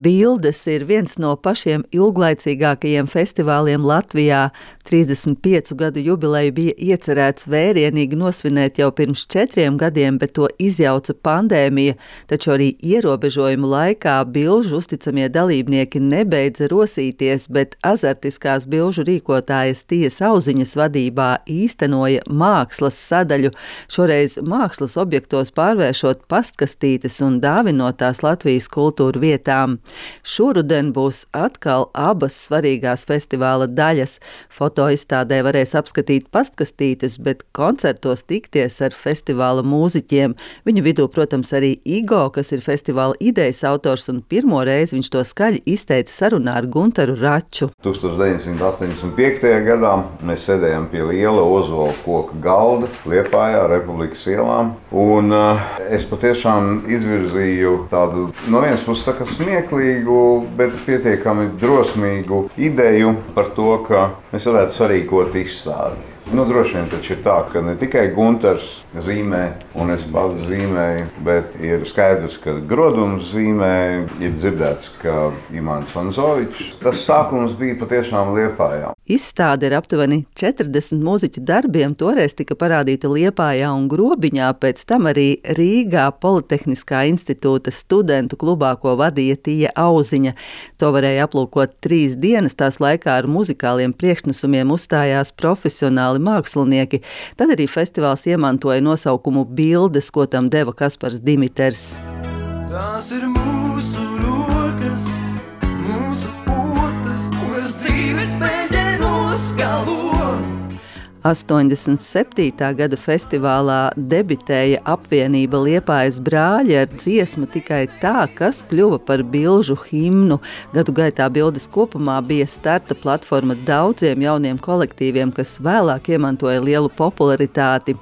Bildes ir viens no pašiem ilglaicīgākajiem festivāliem Latvijā. 35 gadu jubileju bija iecerēts vērienīgi nosvinēt jau pirms 4 gadiem, bet to izjauca pandēmija, taču arī ierobežojumu laikā bilžu uzticamie dalībnieki nebeidza rosīties, bet azartiskās bilžu rīkotājas Tijas Auziņas vadībā īstenoja mākslas sadaļu, šoreiz mākslas objektos pārvēršot pastkastītes un dāvinot tās Latvijas kultūru vietām. Šoruden būs atkal abas svarīgās festivāla daļas. Fotoizstādē varēs apskatīt pastkastītes, bet koncertos tikties ar festivāla mūziķiem. Viņu vidū, protams, arī Igo, kas ir festivāla idejas autors, un pirmo reizi viņš to skaļi izteica sarunā ar Guntaru Raču. 1985. gadā mēs sēdējām pie liela ozola koka galda Liepājā, Republikas ielām, un es patiešām izvirzīju tādu, no vienas puses smieklīgu, bet pietiekami drosmīgu ideju par to, ka mēs varētu sarīkot izstādi. Droši vien taču ir tā, ka ne tikai Guntars zīmē, un es pats zīmēju, bet ir skaidrs, ka Grodums zīmē, ir dzirdēts, ka Imants Vanzovičs. Tas sākums bija patiešām Liepājā. Izstāde ir aptuveni 40 mūziķu darbiem, toreiz tika parādīta Liepājā un Grobiņā, pēc tam arī Rīgā Politehniskā institūta studentu klubā, ko vadīja Tija Auziņa. To varēja aplūkot 3 dienas, tās laikā ar muzikāliem priekšnesumiem uzstājās profesionāli mākslinieki. Tad arī festivāls iemantoja nosaukumu Bildes, ko tam deva Kaspars Dimiters. Tās ir mūsu rokas, mūsu potas, kuras dzīves peļķē noskalo. 87. gada festivālā debitēja apvienība Liepājas brāļi ar dziesmu Tikai tā, kas kļuva par bilžu himnu. Gadu gaitā Bildes kopumā bija starta platforma daudziem jauniem kolektīviem, kas vēlāk iemantoja lielu popularitāti.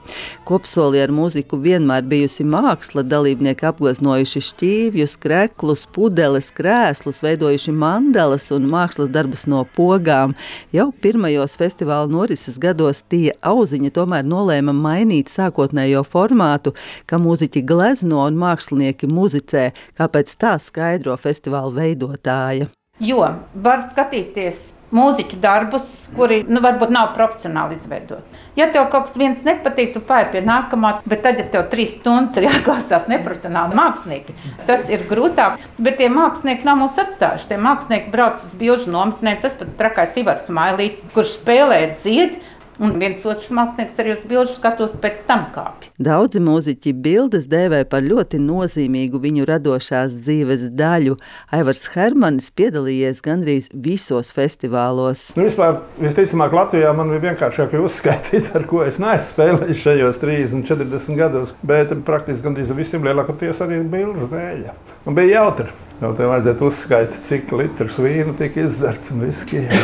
Kopsolī ar mūziku vienmēr bijusi māksla, dalībnieki apgleznojuši šķīvjus, kreklus, pudeles, krēslus, veidojuši mandalas un mākslas darbus no pogām. Jau pirmajos festivāla norises gados Tija Auziņa tomēr nolēma mainīt sākotnējo formātu, ka mūziķi glezno un mākslinieki muzicē, kāpēc tā skaidro festivāla veidotāja. Jo var skatīties mūziķu darbus, kuri varbūt nav profesionāli izveidoti. Ja tev kaut kas viens nepatīk, tu pāri pie nākamā, bet tad, ja tev 3 stundas ir jāklausās neprofesionāli mākslinieki, tas ir grūtāk. Bet tie mākslinieki nav mūs atstājuši. Tie mākslinieki brauc uz bilžu nometnēm, tas pat trakais Ivars Mailītis, kurš spēlē dzied, un viens otrs mākslinieks arī uz bilžu skatos pēc tam kāpj. Daudzi mūziķi Bildes dēvē par ļoti nozīmīgu viņu radošās dzīves daļu. Aivars Hermanis piedalījies gandrīz visos festivālos. Vispār, visticamāk, Latvijā man bija vienkāršāk uzskaitīt, ar ko es neesmu spēlējis šajos 30-40 gados, bet praktiski gandrīz visiem lielākoties arī bilžu dēļ. Un bija jautri. Jau tev vajadzētu uzskaitīt, cik litrus vīna tika izzerts un viskija.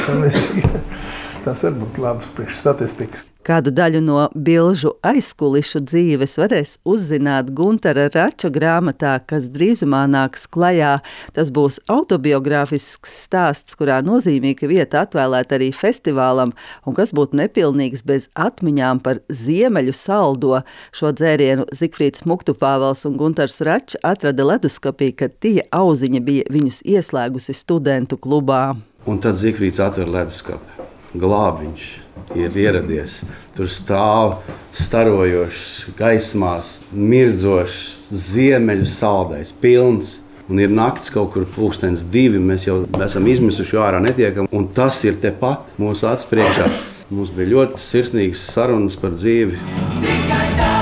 Tas var būt labs priekšstatistikas. Kādu daļu no bilžu aizkulišu dzīves varēs uzzināt Guntara Rača grāmatā, kas drīzumā nāks klajā. Tas būs autobiogrāfisks stāsts, kurā nozīmīga vieta atvēlēta arī festivālam, un kas būtu nepilnīgs bez atmiņām par ziemeļu saldo. Šo dzērienu Zigfrīds Muktupāvels un Guntars Račs atrada leduskapī, kad Tija Auziņa bija viņus ieslēgusi studentu klubā. Un tad Zigfrīds atver leduskapi. Glābiņš ir ieradies. Tur stāv starojošs, gaismās, mirdzošs, ziemeļu saldais, pilns. Un ir nakts kaut kur 1:02, mēs jau esam izmisuši ārā netiekam. Un tas ir tepat mūsu acu priekšā. Mums bija ļoti sirsnīgas sarunas par dzīvi. Tikai tā,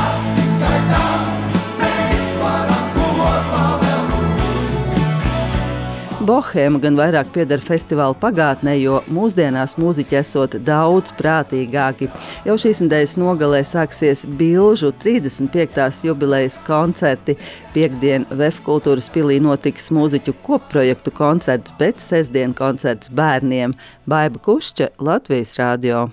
mēs varam kopā vēl būt. Bohēma gan vairāk pieder festivāla pagātnē, jo mūsdienās mūziķi esot daudz prātīgāki. Jau šīs nedēļas nogalē sāksies bilžu 35. jubilejas koncerti. Piektdien VF kultūras pilī notiks mūziķu kopprojektu koncerts, bet sestdien koncerts bērniem. Baiba Kušča, Latvijas radio.